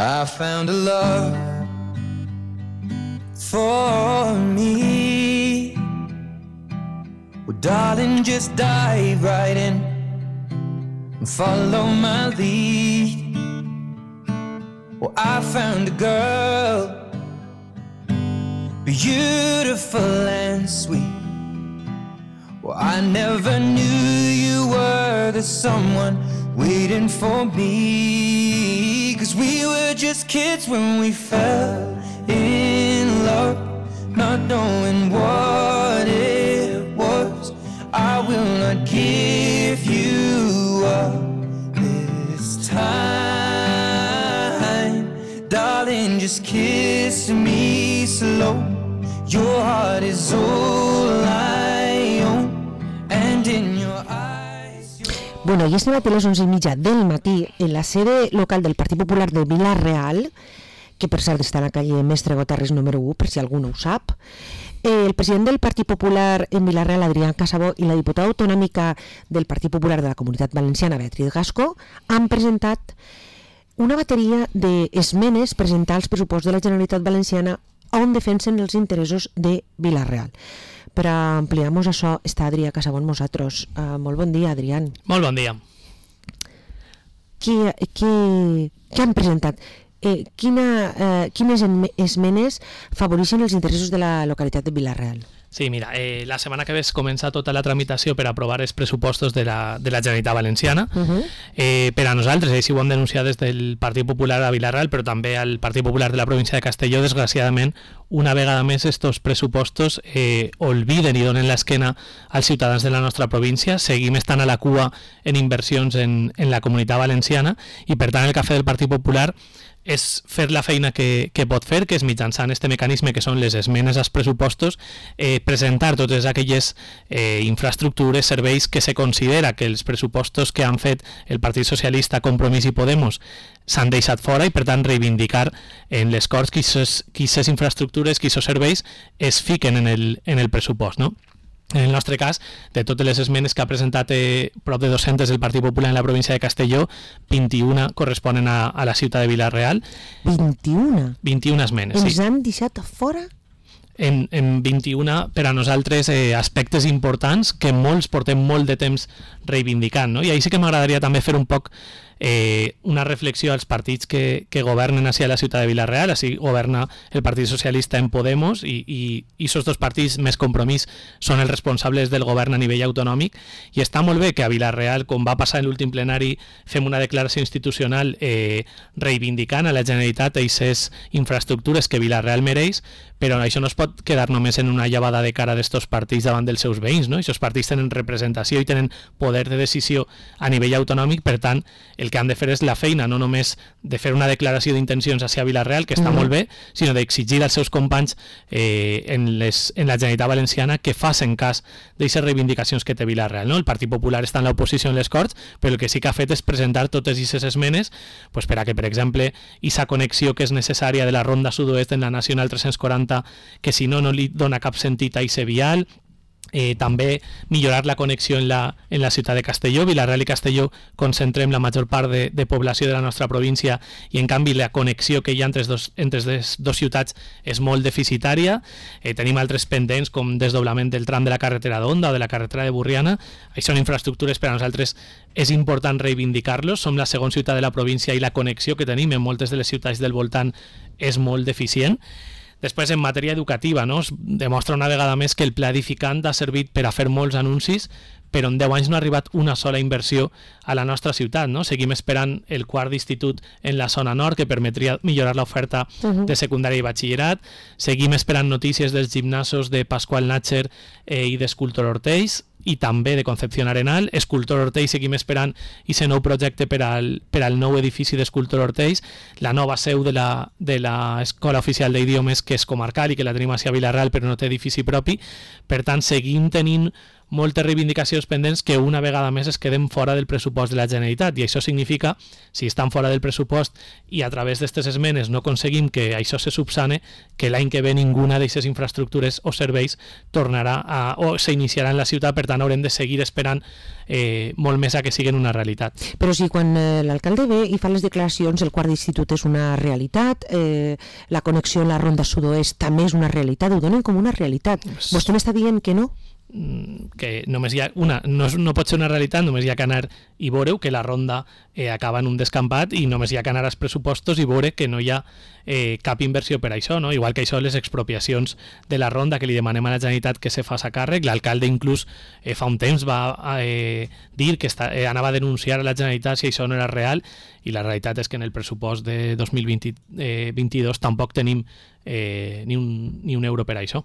I found a love for me. Well, darling, just dive right in and follow my lead. Well, I found a girl, beautiful and sweet. Well, I never knew you were the someone waiting for me. 'Cause we were just kids when we fell in love, not knowing what it was. I will not give you up this time. Darling, just kiss me slow. Your heart is all I own, and in your eyes... Bueno, i este matí a les 11:30 del matí, en la sede local del Partit Popular de Vila-real, que per cert està a la calle Mestre Gotarres número 1, per si algú no ho sap, el president del Partit Popular en Vila-real, Adrián Casabó, i la diputada autonòmica del Partit Popular de la Comunitat Valenciana, Beatriz Gascó, han presentat una bateria d'esmenes presentar als pressupostos de la Generalitat Valenciana on defensen els interessos de Vila-real. Per ampliar-nos això està Adrià Casabó amb nosaltres. Molt bon dia, Adrián. Molt bon dia. Què han presentat? Quines esmenes favoreixen els interessos de la localitat de Vila-real? Sí, mira, la setmana que ve comença tota la tramitació per aprovar els pressupostos de la Generalitat Valenciana. Per a nosaltres, així ho hem denunciat des del Partit Popular a Vila-real, però també al Partit Popular de la província de Castelló, desgraciadament, una vegada més estos pressupostos olviden i donen l'esquena als ciutadans de la nostra província. Seguim estant a la cua en inversions en la Comunitat Valenciana i, per tant, el que ha fet el Partit Popular és fer la feina que pot fer, que és mitjançant este mecanisme que són les esmenes als pressupostos, presentar totes aquelles infraestructures, serveis que se considera que els pressupostos que han fet el Partit Socialista, Compromís i Podemos s'han deixat fora i, per tant, reivindicar en les Corts que aquestes infraestructures, que aquests serveis es fiquen en el pressupost, no? En el nostre cas, de totes les esmenes que ha presentat prop de 200 del Partit Popular en la província de Castelló, 21 corresponen a la ciutat de Vila-real. 21? 21 esmenes, sí. Ens han deixat fora? En 21, per a nosaltres, aspectes importants que molts portem molt de temps reivindicant, no? I ahir sí que m'agradaria també fer un poc una reflexió als partits que governen a la ciutat de Vila-real. Així governa el Partit Socialista en Podemos i aquests dos partits més Compromís són els responsables del govern a nivell autonòmic, i està molt bé que a Vila-real, com va passar en l'últim plenari, fem una declaració institucional reivindicant a la Generalitat aquestes infraestructures que Vila-real mereix, però això no es pot quedar només en una llavada de cara d'estos partits davant dels seus veïns, no? Aquests partits tenen representació i tenen poder de decisió a nivell autonòmic, per tant, el que han de fer és la feina, no només de fer una declaració d'intencions hacia Vila-real, que està molt bé, sinó d'exigir als seus companys en la Generalitat Valenciana que facin cas d'aquestes reivindicacions que té Vila-real, no? El Partit Popular està en l'oposició en les Corts, però el que sí que ha fet és presentar totes aquestes esmenes per a que, per exemple, aquesta connexió que és necessària de la Ronda Sud-oest en la Nacional 340, que si no li dona cap sentit a aquest vial, també millorar la connexió en la ciutat de Castelló. Vila-real i Castelló concentrem la major part de població de la nostra província i, en canvi, la connexió que hi ha entre les dues ciutats és molt deficitària. Tenim altres pendents, com desdoblament del tram de la carretera d'Onda o de la carretera de Burriana. Això són infraestructures per a nosaltres és important reivindicar-los. Som la segona ciutat de la província i la connexió que tenim en moltes de les ciutats del voltant és molt deficient. Després, en matèria educativa, no? Es demostra una vegada més que el pla edificant ha servit per a fer molts anuncis, però en 10 anys no ha arribat una sola inversió a la nostra ciutat, no? Seguim esperant el quart d'institut en la zona nord, que permetria millorar l'oferta de secundària i batxillerat. Seguim esperant notícies dels gimnasos de Pasqual Natcher i d'Escultor Ortells, i també de Concepción Arenal. Escultor Ortells seguim esperant aquest nou projecte per al nou edifici d'Escultor Ortells, la nova seu de l'Escola Oficial d'Idiomes, que és comarcal i que la tenim a Vila-real però no té edifici propi. Per tant, seguim tenint moltes reivindicacions pendents que una vegada més es queden fora del pressupost de la Generalitat, i això significa, si estan fora del pressupost i a través d'aquestes esmenes no aconseguim que això se subsane, que l'any que ve ninguna d'aquestes infraestructures o serveis tornarà o s'iniciarà en la ciutat, per tant haurem de seguir esperant molt més a que siguin una realitat. Però si quan l'alcalde ve i fa les declaracions el quart d'institut és una realitat, la connexió en la ronda sud-oest també és una realitat, ho donen com una realitat. Vostè m'està dient que no? Que només hi ha no pot ser una realitat, només hi ha que anar i veure que la ronda acaba en un descampat, i només hi ha que anar als pressupostos i veure que no hi ha cap inversió per a això, no? Igual que això, les expropiacions de la ronda, que li demanem a la Generalitat que se faci càrrec. L'alcalde inclús fa un temps va dir que anava a denunciar a la Generalitat si això no era real, i la realitat és que en el pressupost de 2022 tampoc tenim ni un euro per a això,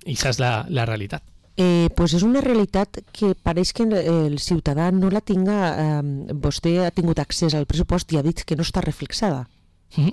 i això és la realitat. Pues és una realitat que pareix que el ciutadà no la tinga. Vostè ha tingut accés al pressupost i ha dit que no està reflexada.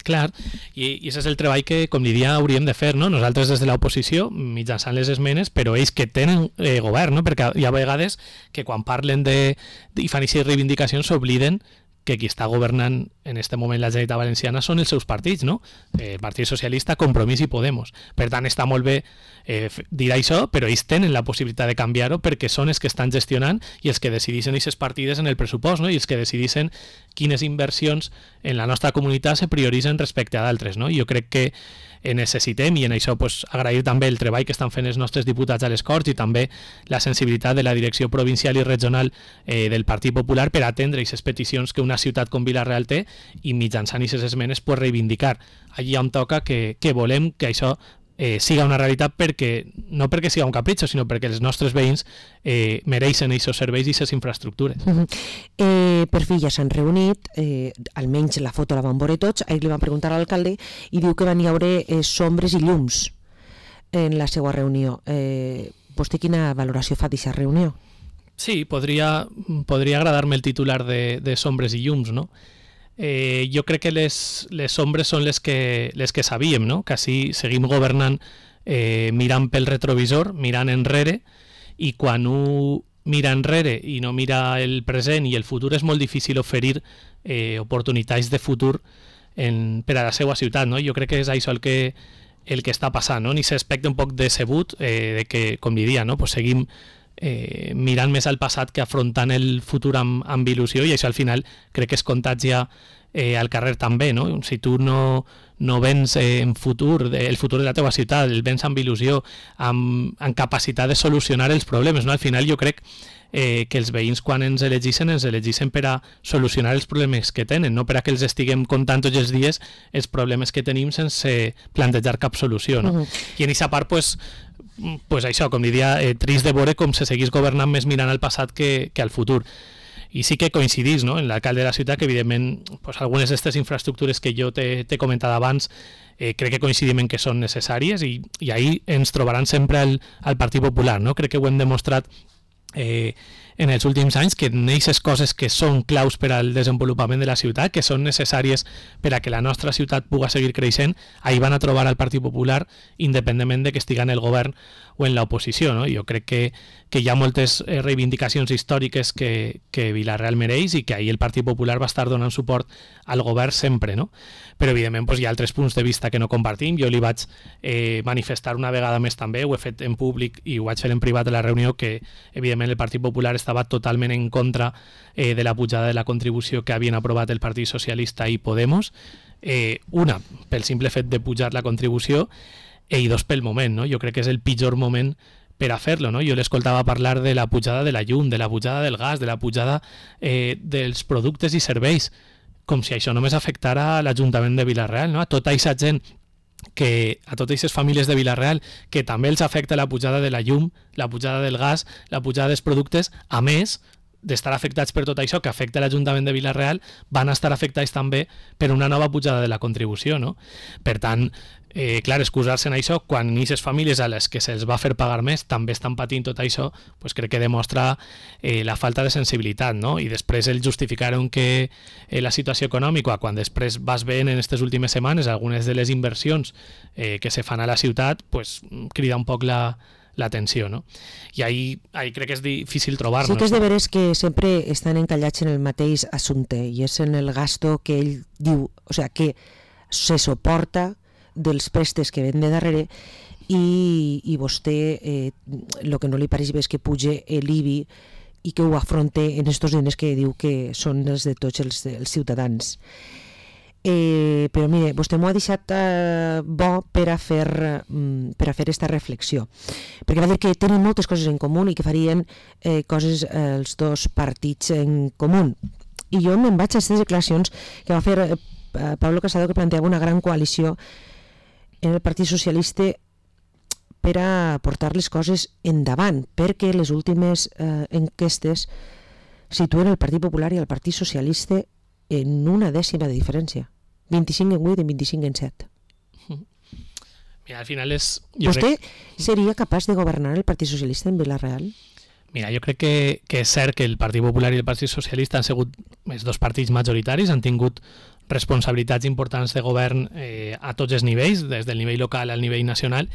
Clar, i això és el treball que, com li dia, hauríem de fer, no? Nosaltres des de l'oposició, mitjançant les esmenes, però ells que tenen govern, no? Perquè hi ha vegades que quan parlen i fan aquestes reivindicacions s'obliden que qui està governant en aquest moment la Generalitat Valenciana són els seus partits, no? El Partit Socialista, Compromís i Podemos. Per tant, està molt bé dir això, però ells tenen la possibilitat de canviar-ho perquè són els que estan gestionant i els que decideixen aquestes partides en el pressupost, no? I els que decideixen quines inversions en la nostra comunitat se prioritzen respecte a d'altres, no? Jo crec que necessitem, i en això pues, agrair també el treball que estan fent els nostres diputats a les Corts i també la sensibilitat de la direcció provincial i regional del Partit Popular per atendre aquestes peticions que una ciutat com Vila-real té, i mitjançant aquestes esmenes pues, reivindicar allí on toca que volem que això siga una realitat, no perquè siga un capritxo, sinó perquè els nostres veïns mereixen aquests serveis i aquestes infraestructures. Per fi ja s'han reunit, almenys la foto la van veure tots. Ahir li van preguntar a l'alcalde i diu que van haure sombres i llums en la seva reunió. Vostè quina valoració fa d'aquesta reunió? Sí, podria agradar-me el titular de sombres i llums, no? Jo crec que les ombres són les que sabíem, no? Que així seguim governant mirant pel retrovisor, mirant enrere, i quan un mira enrere i no mira el present i el futur és molt difícil oferir oportunitats de futur per a la seva ciutat, no? Jo crec que és això el que està passant, no? Ni s'aspecte un poc decebut de que, com diria, no? Pues seguim mirant més al passat que afrontant el futur amb il·lusió, i això al final crec que es contagia al carrer també, no? Si tu no vens en futur, el futur de la teva ciutat, el vens amb il·lusió, amb capacitat de solucionar els problemes, no? Al final jo crec que els veïns quan ens elegeixen per a solucionar els problemes que tenen, no per a que els estiguem contant tots els dies els problemes que tenim sense plantejar cap solució, no? I en aquesta part, pues això, com diria, trist de veure com se seguís governant més mirant al passat que al futur. I sí que coincidís, no? En l'alcalde de la ciutat, que evidentment pues, algunes d'aquestes infraestructures que jo t'he comentat abans crec que coincidim en que són necessàries, i ahí ens trobaran sempre al Partit Popular, no? Crec que ho hem demostrat en els últims anys, que en aquestes coses que són claus per al desenvolupament de la ciutat, que són necessàries per a que la nostra ciutat pugui seguir creixent, ahí van a trobar al Partit Popular, independentment de que estiga en el govern o en l'oposició, no? Jo crec que hi ha moltes reivindicacions històriques que Vila-real mereix, i que ahir el Partit Popular va estar donant suport al govern sempre, no? Però evidentment pues, hi ha altres punts de vista que no compartim. Jo li vaig manifestar una vegada més també, ho he fet en públic i ho vaig fer en privat a la reunió, que evidentment el Partit Popular estava totalment en contra de la pujada de la contribució que havien aprovat el Partit Socialista i Podemos, una pel simple fet de pujar la contribució, i dos pel moment, no? Jo crec que és el pitjor moment per a fer-lo, no? Jo l'escoltava parlar de la pujada de la llum, de la pujada del gas, de la pujada dels productes i serveis, com si això només afectara a l'Ajuntament de Vila-real, no? A tota aquesta gent, a totes aquestes famílies de Vila-real, que també els afecta la pujada de la llum, la pujada del gas, la pujada dels productes, a més d'estar afectats per tot això que afecta l'Ajuntament de Vila-real, van estar afectats també per una nova pujada de la contribució, no? Per tant, clar, excusar-se en això quan aquestes famílies a les que se'ls va fer pagar més també estan patint tot això, pues crec que demostra la falta de sensibilitat, no? I després el justificar que la situació econòmica, quan després vas veient en aquestes últimes setmanes algunes de les inversions que se fan a la ciutat, pues crida un poc la l'atenció, no? I ahí crec que és difícil trobar-nos. Sí que és de veres que sempre estan encallats en el mateix assumpte, i és en el gasto que ell diu, o sea, que se soporta dels préstecs que ven de darrere, i vostè el que no li pareix bé és que puge l'IBI i que ho afronte en estos diners que diu que són els de tots els ciutadans. Però mire, vostè m'ho ha deixat bo per a fer esta reflexió, perquè va dir que tenen moltes coses en comú i que farien coses els dos partits en comú, i jo me'n vaig a aquestes declaracions que va fer Pablo Casado, que planteava una gran coalició en el Partit Socialista per a portar les coses endavant, perquè les últimes enquestes situen el Partit Popular i el Partit Socialista en una dècima de diferència, 25 en 8 i 25 en 7. Mira, al final és... ¿Vostè seria capaç de governar el Partit Socialista en Vila-real? Mira, jo crec que és cert que el Partit Popular i el Partit Socialista han sigut els dos partits majoritaris, han tingut responsabilitats importants de govern a tots els nivells, des del nivell local al nivell nacional,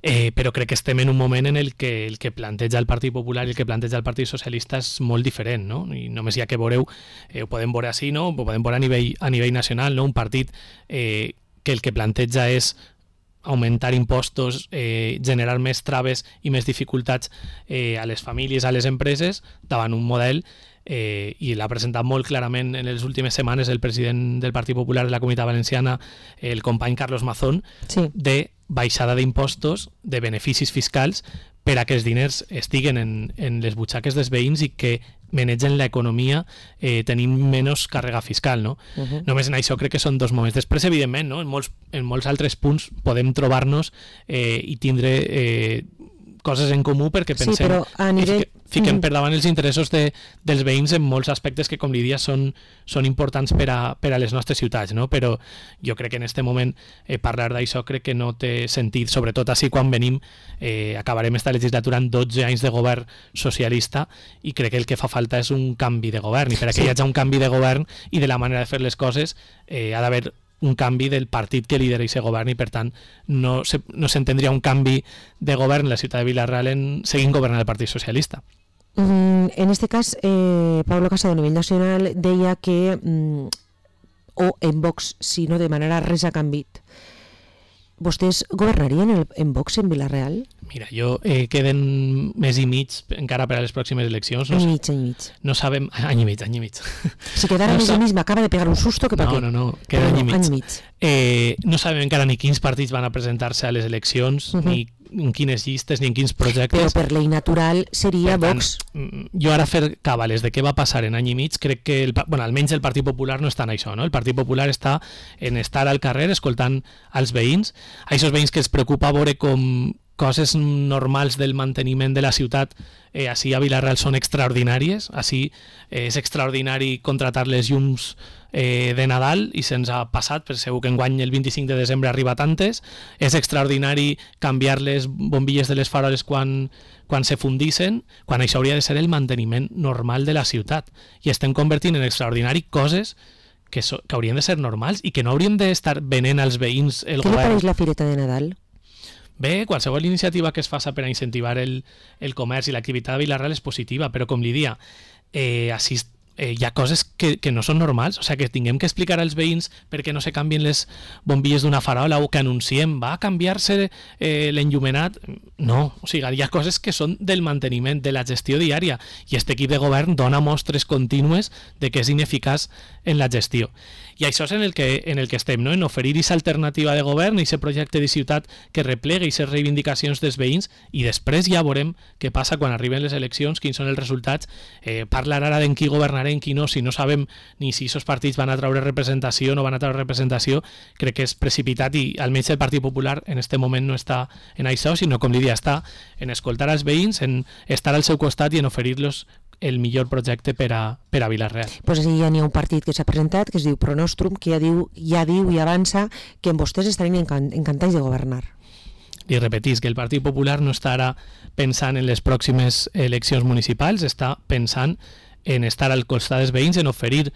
però crec que estem en un moment en el que planteja el Partit Popular i el que planteja el Partit Socialista és molt diferent, no? I només hi ha que veureu, ho podem veure així, no? Ho podem veure a nivell nacional, no? Un partit que el que planteja és augmentar impostos, generar més traves i més dificultats a les famílies, a les empreses, davant un model i l'ha presentat molt clarament en les últimes setmanes el president del Partit Popular de la Comunitat Valenciana, el company Carlos Mazón, sí, de baixada d'impostos, de beneficis fiscals, per a que els diners estiguen en les butxaques dels veïns i que manegen l'economia tenint menys càrrega fiscal, no? Només en això crec que són dos moments. Després, evidentment, no? En molts altres punts podem trobar-nos i tindre coses en comú perquè pensem sí, però a nivell... fiquem per davant els interessos dels veïns en molts aspectes que, com li dia, són importants per a les nostres ciutats, no? Però jo crec que en aquest moment parlar d'això crec que no té sentit, sobretot així quan venim, acabarem esta legislatura en 12 anys de govern socialista i crec que el que fa falta és un canvi de govern, i per a que hi hagi un canvi de govern i de la manera de fer les coses ha d'haver un canvi del partit que lidera aquest govern, i per tant no s'entendria un canvi de govern en la ciutat de Vila-real seguint governant el Partit Socialista. En este cas, Pablo Casado a nivell nacional deia que o en Vox, si no de manera res ha canviat, vostès governarien en Vox en Vila-real? Mira, queden mes i mig encara per a les pròximes eleccions. Any i mig. No sabem... Any i mig. Si quedara mes i mig m'acaba de pegar un susto que pa què. No, queda any i mig. Any i mig. No sabem encara ni quins partits van a presentar-se a les eleccions, ni en quines llistes, ni en quins projectes. Però per llei natural seria Vox. Jo ara fer càbales de què va passar en any i mig, crec que almenys el Partit Popular no està en això, no? El Partit Popular està en estar al carrer escoltant als veïns, a aquests veïns que els preocupa veure com coses normals del manteniment de la ciutat així a Vila-real són extraordinàries. Així és extraordinari contratar les llums de Nadal i se'ns ha passat, per segur que enguany el 25 de desembre arriba tantes. És extraordinari canviar les bombilles de les faroles quan se fundissin, quan això hauria de ser el manteniment normal de la ciutat. I estem convertint en extraordinari coses que haurien de ser normals i que no haurien d'estar venent als veïns el govern. Què li pareix la fireta de Nadal? Bé, qualsevol iniciativa que es faça per a incentivar el comerç i l'activitat de Vila-real és positiva, però com li dia, així hi ha coses que no són normals, o sigui, que tinguem que explicar als veïns per què no se canvien les bombilles d'una farola o que anunciem va a canviar-se l'enllumenat. No, o sigui, hi ha coses que són del manteniment, de la gestió diària, i aquest equip de govern dona mostres contínues de que és ineficaç en la gestió. I això és en el que estem, no? En oferir aquesta alternativa de govern i aquest projecte de ciutat que replega aquestes reivindicacions dels veïns, i després ja veurem què passa quan arriben les eleccions, quins són els resultats. Parlar ara d'en qui governarà, en qui no, si no sabem ni si aquests partits van a treure representació o no van a treure representació, crec que és precipitat, i almenys el Partit Popular en aquest moment no està en això, sinó, com li dia, està en escoltar els veïns, en estar al seu costat i en oferir-los el millor projecte per a Vila-real. Pues ja n'hi ha un partit que s'ha presentat, que es diu Pronostrum, que ja diu i avança que en vostès estarien encantats de governar. I repetís que el Partit Popular no està ara pensant en les pròximes eleccions municipals, està pensant en estar al costat dels veïns, en oferir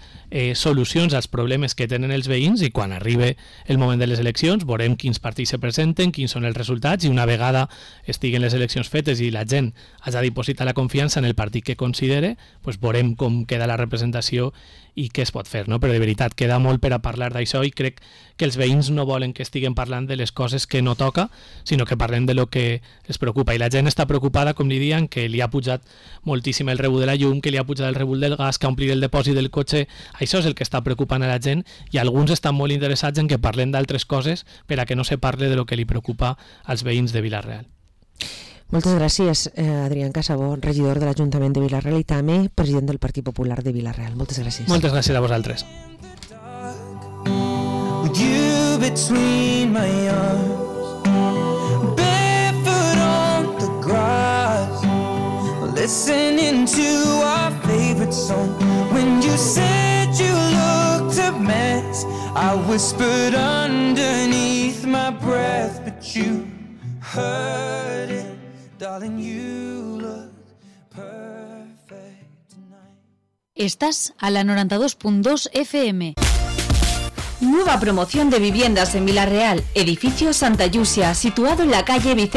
solucions als problemes que tenen els veïns, i quan arribi el moment de les eleccions veurem quins partits se presenten, quins són els resultats, i una vegada estiguen les eleccions fetes i la gent hagi dipositat la confiança en el partit que considere, doncs veurem com queda la representació i què es pot fer, no? Però de veritat queda molt per a parlar d'això, i crec que els veïns no volen que estiguem parlant de les coses que no toca, sinó que parlem de lo que els preocupa, i la gent està preocupada, com li diuen, que li ha pujat moltíssim el rebut de la llum, que li ha pujat el rebut del gas, que ha omplit el depòsit del cotxe. Això és el que està preocupant a la gent, i alguns estan molt interessats en que parlem d'altres coses per a que no se parle de lo que li preocupa als veïns de Vila-real. Moltes gràcies, Adrián Casabó, regidor de l'Ajuntament de Vila-real, i també president del Partit Popular de Vila-real. Moltes gràcies. Moltes gràcies a vosaltres. With you between my arms, barefoot on the grass, listening to our favorite song. When you said you looked a mess, I whispered underneath my breath, but you heard it. Darling, you look perfect tonight. Estás a la 92.2 FM. Nueva promoción de viviendas en Vila-real, edificio Santa Yusia, situado en la calle Vicente